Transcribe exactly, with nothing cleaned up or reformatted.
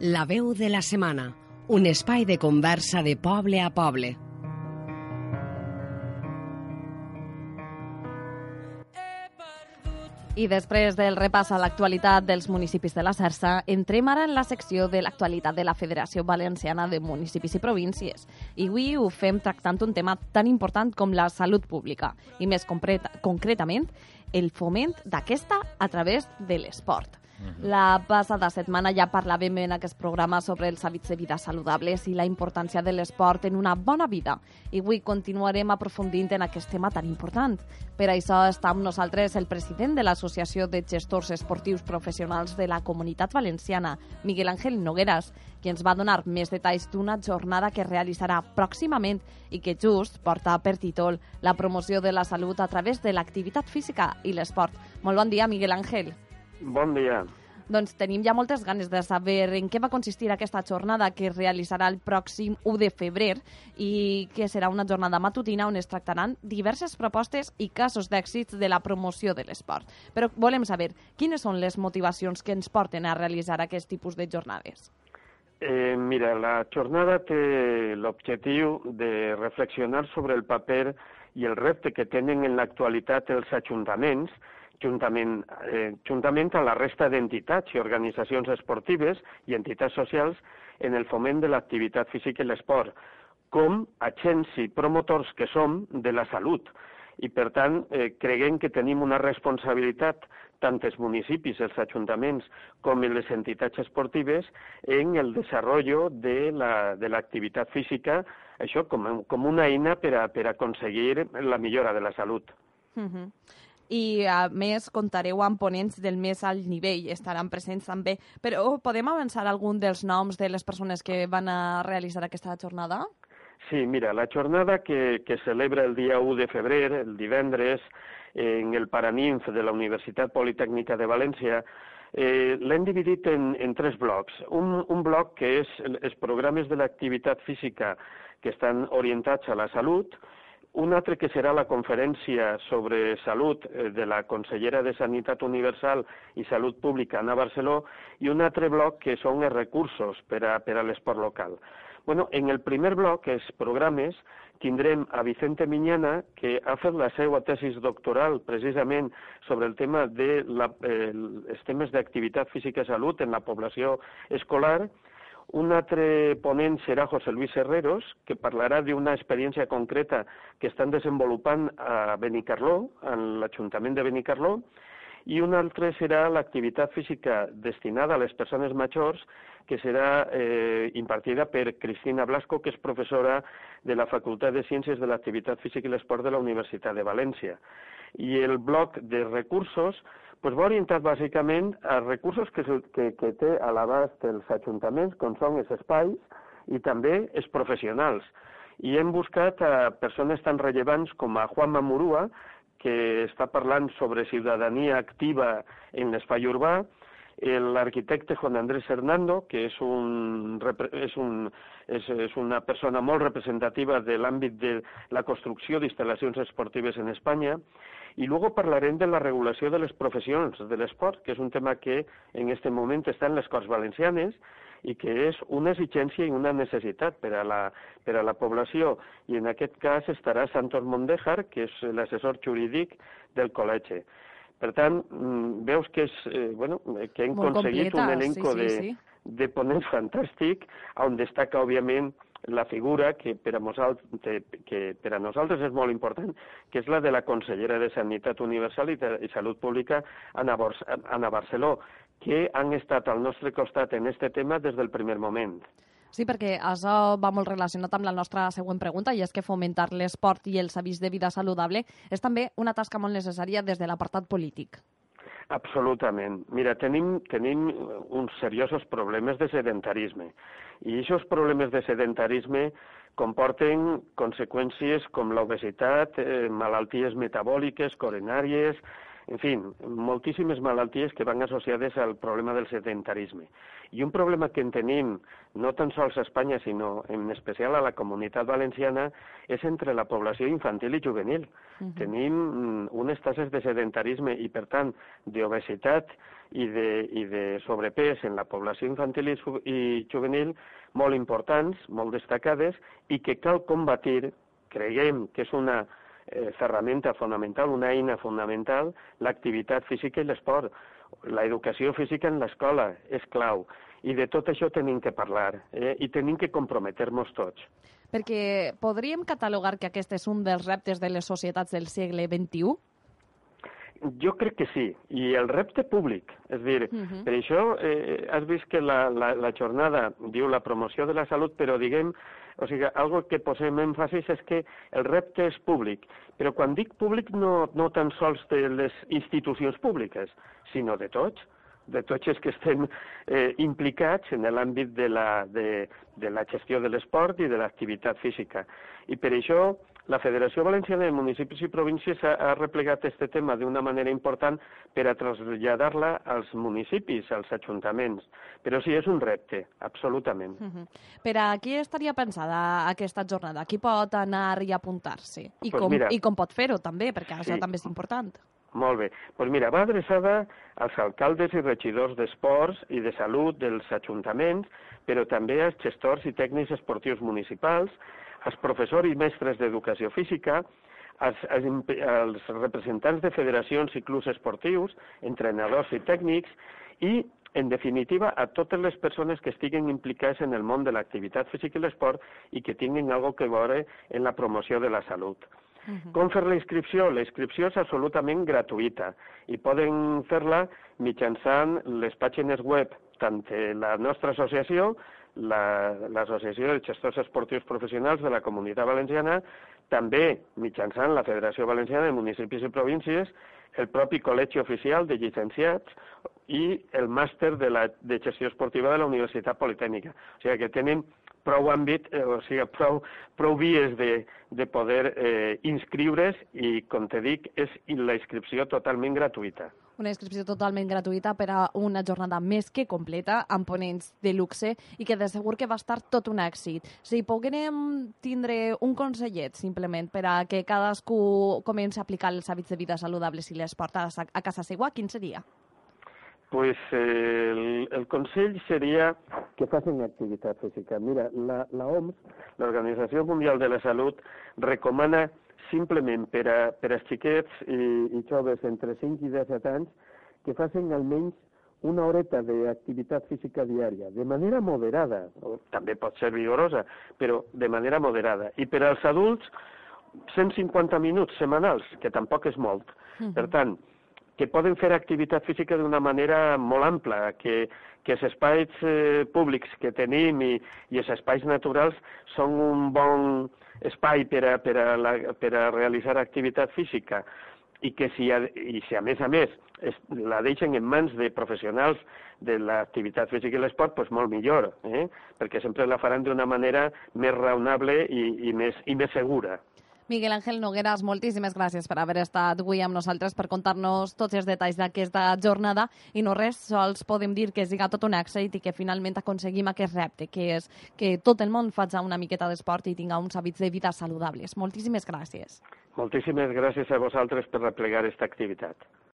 La veu de la setmana, un espai de conversa de poble a poble. I després del repàs a l'actualitat dels municipis de la Xarxa, entrem ara en la secció de l'actualitat de la Federació Valenciana de Municipis i Províncies. I avui ho fem tractant un tema tan important com la salut pública, i més concretament, el foment d'aquesta a través de l'esport. La passada setmana ja parlàvem en aquest programa sobre els hàbits de vida saludables i la importància de l'esport en una bona vida. I avui continuarem aprofundint en aquest tema tan important. Per això està amb nosaltres el president de l'Associació de Gestors Esportius Professionals de la Comunitat Valenciana, Miguel Ángel Nogueras, qui ens va donar més detalls d'una jornada que realitzarà pròximament i que just porta per títol la promoció de la salut a través de l'activitat física i l'esport. Molt bon dia, Miguel Ángel. Bon dia. Doncs tenim ja moltes ganes de saber en què va consistir aquesta jornada que es realitzarà el pròxim u de febrer i que serà una jornada matutina on es tractaran diverses propostes i casos d'èxits de la promoció de l'esport. Però volem saber quines són les motivacions que ens porten a realitzar aquest tipus de jornades. Eh, mira, la jornada té l'objectiu de reflexionar sobre el paper i el repte que tenen en l'actualitat els ajuntaments juntament, eh, juntament amb la resta d'entitats i organitzacions esportives i entitats socials en el foment de l'activitat física i l'esport, com agents i promotors que som de la salut. I, per tant, eh, creguem que tenim una responsabilitat, tant els municipis, els ajuntaments, com les entitats esportives, en el desenvolupament de la, de l'activitat física, això com, com una eina per a, per aconseguir la millora de la salut. Uh-huh. I, a més, comptareu amb ponents del més alt nivell, estaran presents també. Però podem avançar algun dels noms de les persones que van a realitzar aquesta jornada? Sí, mira, la jornada que, que celebra el dia u de febrer, el divendres, en el Paraninf de la Universitat Politècnica de València, eh, l'hem dividit en, en tres blocs. Un, un bloc que és els programes de l'activitat física que estan orientats a la salut, un altre que serà la conferència sobre salut de la consellera de Sanitat Universal i Salut Pública, Ana Barceló, i un altre bloc que són els recursos per a, per a l'esport local. Bueno, en el primer bloc, els programes, tindrem a Vicente Miñana, que ha fet la seva tesis doctoral precisament sobre el tema de la, eh, els temes d'activitat física i salut en la població escolar. Un altre ponent serà José Luis Herreros, que parlarà d'una experiència concreta que estan desenvolupant a Benicarló, en l'Ajuntament de Benicarló, i un altre serà l'activitat física destinada a les persones majors, que serà eh, impartida per Cristina Blasco, que és professora de la Facultat de Ciències de l'Activitat Física i l'Esport de la Universitat de València. I el bloc de recursos pues va orientat bàsicament a recursos que, que, que té a l'abast els ajuntaments, com són els espais i també els professionals. I hem buscat a persones tan rellevants com a Juanma Murúa, que està parlant sobre ciutadania activa en l'espai urbà, l'arquitecte Juan Andrés Hernando, que és, un, és, un, és, és una persona molt representativa de l'àmbit de la construcció d'instal·lacions esportives en Espanya, i luego parlarem de la regulació de les professions de l'esport, que és un tema que en aquest moment està en les Corts Valencianes i que és una exigència i una necessitat per a la, per a la població. I en aquest cas estarà Santos Mondejar, que és l'assessor jurídic del col·legi. Per tant, veus que, és, eh, bueno, que hem Molt aconseguit completa, un elenco sí, sí, de, sí. de ponents fantàstic, on destaca, òbviament, la figura que per a nosaltres, que per a nosaltres és molt important, que és la de la consellera de Sanitat Universal i, de, i Salut Pública, Ana, Bors, Ana Barceló, que han estat al nostre costat en aquest tema des del primer moment. Sí, perquè això va molt relacionat amb la nostra següent pregunta, i és que fomentar l'esport i els hàbits de vida saludable és també una tasca molt necessària des de l'apartat polític. Absolutament. Mira, tenim, tenim uns seriosos problemes de sedentarisme i aquests problemes de sedentarisme comporten conseqüències com l'obesitat, eh, malalties metabòliques, coronàries, en fi, moltíssimes malalties que van associades al problema del sedentarisme. I un problema que en tenim, no tan sols a Espanya, sinó en especial a la Comunitat Valenciana, és entre la població infantil i juvenil. Uh-huh. Tenim unes tasses de sedentarisme i, per tant, d'obesitat i de, i de sobrepès en la població infantil i, i juvenil molt importants, molt destacades, i que cal combatir, creiem que és una eh, ferramenta fonamental, una eina fonamental, l'activitat física i l'esport. L'educació física en l'escola és clau. I de tot això tenim que parlar, eh? I tenim que comprometer-nos tots. Perquè podríem catalogar que aquest és un dels reptes de les societats del segle vint-i-u? Jo crec que sí, i el repte públic, és a dir, uh-huh. per això eh, has vist que la, la, la jornada diu la promoció de la salut, però diguem, o sigui, algo que posem èmfasis és que el repte és públic, però quan dic públic no, no tan sols de les institucions públiques, sinó de tots, de tots els que estem eh, implicats en l'àmbit de, la, de, de la gestió de l'esport i de l'activitat física. I per això la Federació Valenciana de Municipis i Províncies ha, ha replegat aquest tema d'una manera important per a traslladar-la als municipis, als ajuntaments. Però sí, és un repte, absolutament. Uh-huh. Per a qui estaria pensada aquesta jornada? Qui pot anar i apuntar-se? I, pues com, mira, I com pot fer-ho també, perquè sí. això també és important. Molt bé. Doncs pues mira, va adreçada als alcaldes i regidors d'esports i de salut dels ajuntaments, però també als gestors i tècnics esportius municipals, als professors i mestres d'educació física, als, als, als representants de federacions i clubs esportius, entrenadors i tècnics, i, en definitiva, a totes les persones que estiguen implicades en el món de l'activitat física i l'esport i que tinguin alguna cosa a veure en la promoció de la salut. Uh-huh. Com fer la inscripció? La inscripció és absolutament gratuïta i poden fer-la mitjançant les pàgines web tant de la nostra associació, l'Associació la, de Gestors Esportius Professionals de la Comunitat Valenciana, també mitjançant la Federació Valenciana de Municipis i Províncies, el propi Col·legi Oficial de Llicenciats i el màster de, la, de Gestió Esportiva de la Universitat Politècnica. O sigui que tenen prou àmbit, eh, o sigui, prou, prou vies de, de poder eh, inscriure's i, com te dic, és la inscripció totalment gratuïta. Una inscripció totalment gratuïta per a una jornada més que completa, amb ponents de luxe i que de segur que va estar tot un èxit. Si poguérem tindre un consellet, simplement, per a que cadascú comenci a aplicar els hàbits de vida saludables i l'esport a, a casa seva, quin seria? Pues eh, el, el consell seria que facin activitat física. Mira, la, la O M S, l'Organització Mundial de la Salut, recomana simplement per a, per als xiquets i, i joves entre cinc i disset anys que facin almenys una horeta d'activitat física diària, de manera moderada, o també pot ser vigorosa, però de manera moderada. I per als adults, cent cinquanta minuts setmanals, que tampoc és molt. Uh-huh. Per tant, que poden fer activitat física d'una manera molt ampla, que, que els espais eh, públics que tenim i, i els espais naturals són un bon espai per a, per a, la, per a realitzar activitat física i que si a, i si a més a més es, la deixen en mans de professionals de l'activitat física i l'esport, doncs molt millor, eh? Perquè sempre la faran d'una manera més raonable i, i, més, i més segura. Miguel Ángel Nogueras, moltíssimes gràcies per haver estat avui amb nosaltres per contar-nos tots els detalls d'aquesta jornada i no res, sols podem dir que siga tot un èxit i que finalment aconseguim aquest repte, que és que tot el món faci una miqueta d'esport i tinga uns hàbits de vida saludables. Moltíssimes gràcies. Moltíssimes gràcies a vosaltres per replegar aquesta activitat.